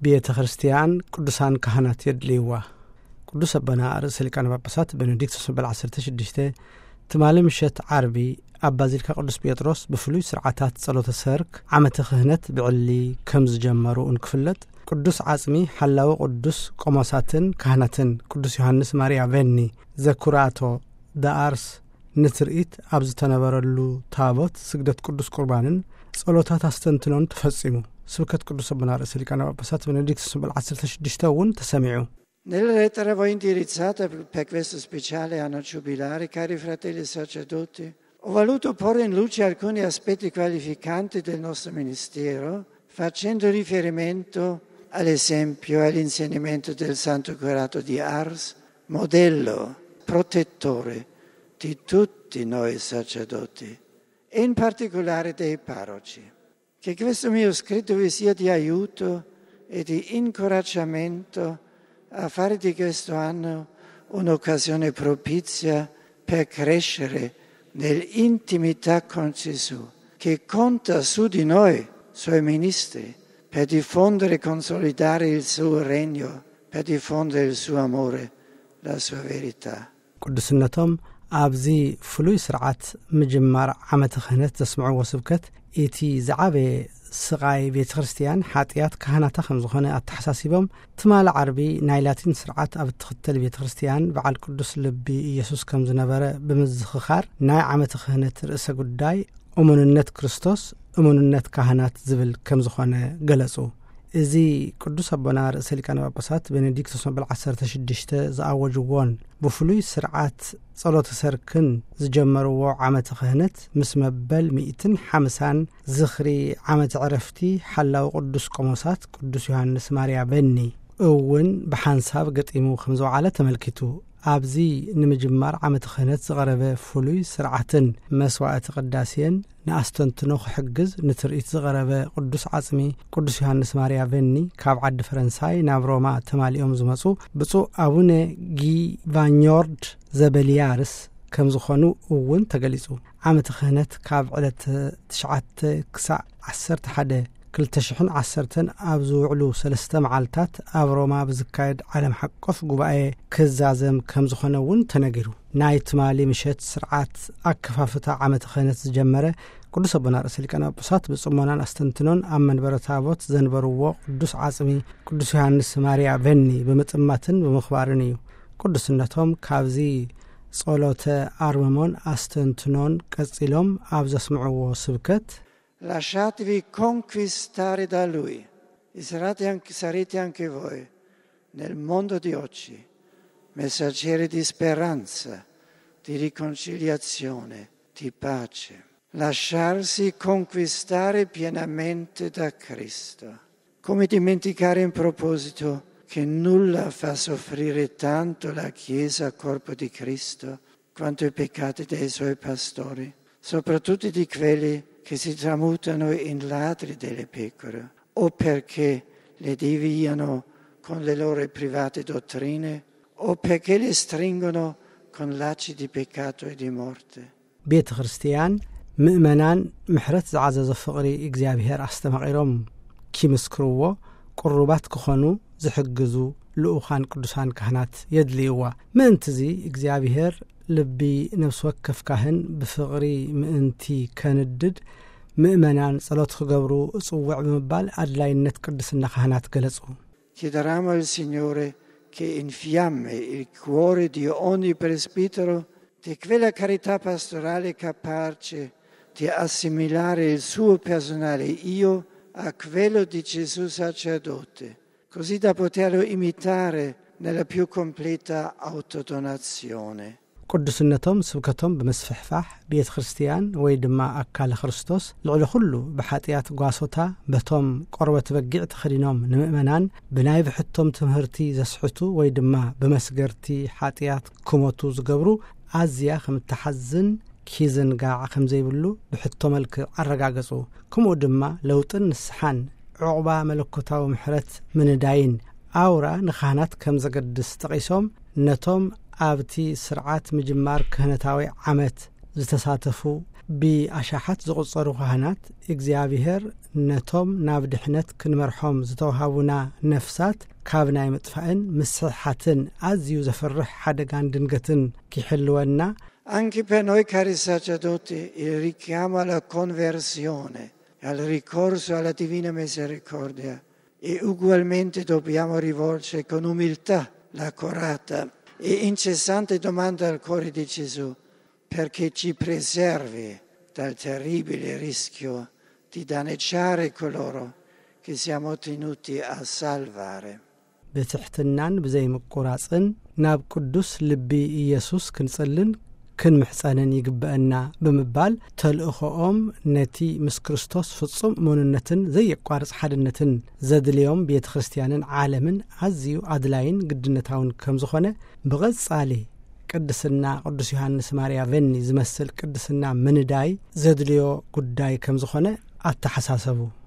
ቤተ ክርስቲያን ቅዱሳን ካህናት የድልይዋ። ቅዱስ ኣቦና ርእሰ ሊቃነ ጳጳሳት ቤኔዲክቶስ መበል ዓሰርተ ሽዱሽተ ትማሊ ምሸት ዓርቢ ኣብ ባዚሊካ ቅዱስ ጴጥሮስ ብፍሉይ ስርዓታት ጸሎተ ሰርክ ዓመተ ክህነት ብዕሊ ከም ዝጀመሩ እንክፍለጥ፣ ቅዱስ ዓጽሚ ሓላዊ ቅዱስ ቆሞሳትን ካህናትን ቅዱስ ዮሃንስ ማርያ ቬኒ ዘኩራቶ ደኣርስ ንትርኢት ኣብ ዝተነበረሉ ታቦት ስግደት ቅዱስ ቁርባንን ጸሎታት ኣስተንትኖን ተፈጺሙ። ስብከት ቅዱስ ኣቦና ርእሰ ሊቃነ ጳጳሳት ቤኔዲክቶስ መበል ዓሰርተ ሽዱሽተ እውን ተሰሚዑ። Nella lettera voi indirizzata per questo speciale anno giubilare, cari fratelli sacerdoti, ho voluto porre in luce alcuni aspetti qualificanti del nostro ministero, facendo riferimento all'esempio e all'insegnamento del Santo Curato di Ars, modello, protettore di tutti noi sacerdoti, e in particolare dei parroci. Che questo mio scritto vi sia di aiuto e di incoraggiamento a fare di questo anno un'occasione propizia per crescere nell'intimità con Gesù, che conta su di noi, suoi ministri, per diffondere e consolidare il suo regno, per diffondere il suo amore, la sua verità. ቅዱስነቶም ኣብዚ ፍሉይ ስርዓት ምጅማር ዓመተ ክህነት ዘስምዕዎ ስብከት፣ እቲ ዝዓበየ ስቓይ ቤተ ክርስቲያን ሓጢኣት ካህናታ ከም ዝኾነ ኣተሓሳሲቦም፣ ትማሊ ዓርቢ ናይ ላቲን ስርዓት ኣብ እትኽተል ቤተ ክርስቲያን በዓል ቅዱስ ልቢ ኢየሱስ ከም ዝነበረ ብምዝኽኻር፣ ናይ ዓመተ ክህነት ርእሰ ጉዳይ እሙንነት ክርስቶስ፣ እሙንነት ካህናት ዝብል ከም ዝኾነ ገለጹ። እዚ ቅዱስ ኣቦና ርእሰ ሊቃነ ጳጳሳት ቤኔዲክቶስ መበል ዓሰርተ ሽዱሽተ ዝኣወጅዎን ብፍሉይ ስርዓት ጸሎተ ሰርክን ዝጀመርዎ ዓመተ ክህነት፣ ምስ መበል ሚእትን ሓምሳን ዝኽሪ ዓመተ ዕረፍቲ ሓላዊ ቅዱስ ቆሞሳት ቅዱስ ዮሃንስ ማርያ በኒ እውን ብሓንሳብ ገጢሙ ከም ዝወዓለ ተመልኪቱ። ኣብዚ ንምጅማር ዓመተ ክህነት ዝቐረበ ፍሉይ ስርዓትን መስዋዕቲ ቅዳሴን ንኣስተንትኖ ክሕግዝ ንትርኢት ዝቐረበ ቅዱስ ዓጽሚ ቅዱስ ዮሃንስ ማርያ ቬኒ ካብ ዓዲ ፈረንሳይ ናብ ሮማ ተማሊኦም ዝመጹ ብፁዕ ኣቡነ ጊቫኞርድ ዘበልያርስ ከም ዝኾኑ እውን ተገሊጹ። ዓመተ ክህነት ካብ ዕለት ትሽዓተ ክሳዕ ዓሰርተ ሓደ ክልተ ሽሕን ዓሰርተን ኣብ ዝውዕሉ ሰለስተ መዓልታት ኣብ ሮማ ብዝካየድ ዓለም ሓቆፍ ጉባኤ ክዛዘም ከም ዝኾነ እውን ተነጊሩ። ናይ ትማሊ ምሸት ስርዓት ኣከፋፍታ ዓመተ ክህነት ዝጀመረ ቅዱስ ኣቦና ርእሰ ሊቃነ ጳጳሳት ብጽሞናን ኣስተንትኖን ኣብ መንበረ ታቦት ዘንበርዎ ቅዱስ ዓጽሚ ቅዱስ ዮሃንስ ማርያ ቬኒ ብምጥማትን ብምኽባርን እዩ። ቅዱስነቶም ካብዚ ጸሎተ ኣርምሞን ኣስተንትኖን ቀጺሎም ኣብ ዘስምዕዎ ስብከት፣ Lasciatevi conquistare da Lui e sarete anche, sarete anche voi, nel mondo di oggi, messaggeri di speranza, di riconciliazione, di pace. Lasciarsi conquistare pienamente da Cristo. Come dimenticare in proposito che nulla fa soffrire tanto la Chiesa, corpo di Cristo, quanto i peccati dei suoi pastori, soprattutto di quelli che si tramutano in ladri delle pecore, o perché le deviano con le loro private dottrine, o perché le stringono con lacci di peccato e di morte. ቤተ ክርስቲያን ምእመናን ምሕረት ዝዓዘዞ ፍቕሪ እግዚኣብሔር ኣስተማቒሮም ኪምስክርዎ ቅሩባት ክኾኑ ዝሕግዙ ልኡኻን ቅዱሳን ካህናት የድልይዋ። ምእንትዚ እግዚኣብሔር ልቢ ነፍሲ ወከፍ ካህን ብፍቕሪ ምእንቲ ከንድድ ምእመናን ጸሎት ክገብሩ እጽውዕ ብምባል ኣድላይነት ቅድስና ካህናት ገለጹ። Chiederemo al Signore che infiammi il cuore di ogni presbitero di quella carità pastorale capace di assimilare il suo personale io a quello di Gesù sacerdote, così da poterlo imitare nella più completa autodonazione. ቅዱስነቶም ስብከቶም ብምስፍሕፋሕ ቤተ ክርስቲያን ወይ ድማ ኣካለ ክርስቶስ ልዕሊ ኩሉ ብሓጢኣት ጓሶታ በቶም ቆርበት በጊዕ ተኸዲኖም ንምእመናን ብናይ ብሕቶም ትምህርቲ ዘስሕቱ ወይ ድማ ብመስገርቲ ሓጢኣት ክሞቱ ዝገብሩ ኣዝያ ከም እትሓዝን ኪዝንጋዕ ከም ዘይብሉ ብሕቶ መልክዕ ኣረጋገጹ። ከምኡ ድማ ለውጥን ንስሓን ዕቑባ መለኮታዊ ምሕረት ምንዳይን ኣውራ ንካህናት ከም ዘገድስ ጠቒሶም፣ ነቶም ኣብቲ ስርዓት ምጅማር ክህነታዊ ዓመት ዝተሳተፉ ብኣሻሓት ዝቑጸሩ ካህናት እግዚኣብሔር ነቶም ናብ ድሕነት ክንመርሖም ዝተዋሃቡና ነፍሳት ካብ ናይ ምጥፋእን ምስሕሓትን ኣዝዩ ዘፍርሕ ሓደጋን ድንገትን ኪሕልወና Anche per noi, cari sacerdoti, il richiamo alla conversione, al ricorso alla divina misericordia, e ugualmente dobbiamo rivolgere con umiltà l'accorata e incessante domanda al cuore di Gesù, perché ci preservi dal terribile rischio di danneggiare coloro che siamo tenuti a salvare. ብትሕትናን ብዘይምቁራጽን ናብ ቅዱስ ልቢ ኢየሱስ ክንጽልን ክንምሕጸንን ይግበአና ብምባል፣ ተልእኾኦም ነቲ ምስ ክርስቶስ ፍጹም እሙንነትን ዘየቋርጽ ሓድነትን ዘድልዮም ቤተ ክርስቲያንን ዓለምን ኣዝዩ ኣድላይን ግድነታውን ከም ዝኾነ ብቐጻሊ ቅድስና ቅዱስ ዮሃንስ ማርያ ቨኒ ዝመስል ቅድስና ምንዳይ ዘድልዮ ጉዳይ ከም ዝኾነ ኣተሓሳሰቡ።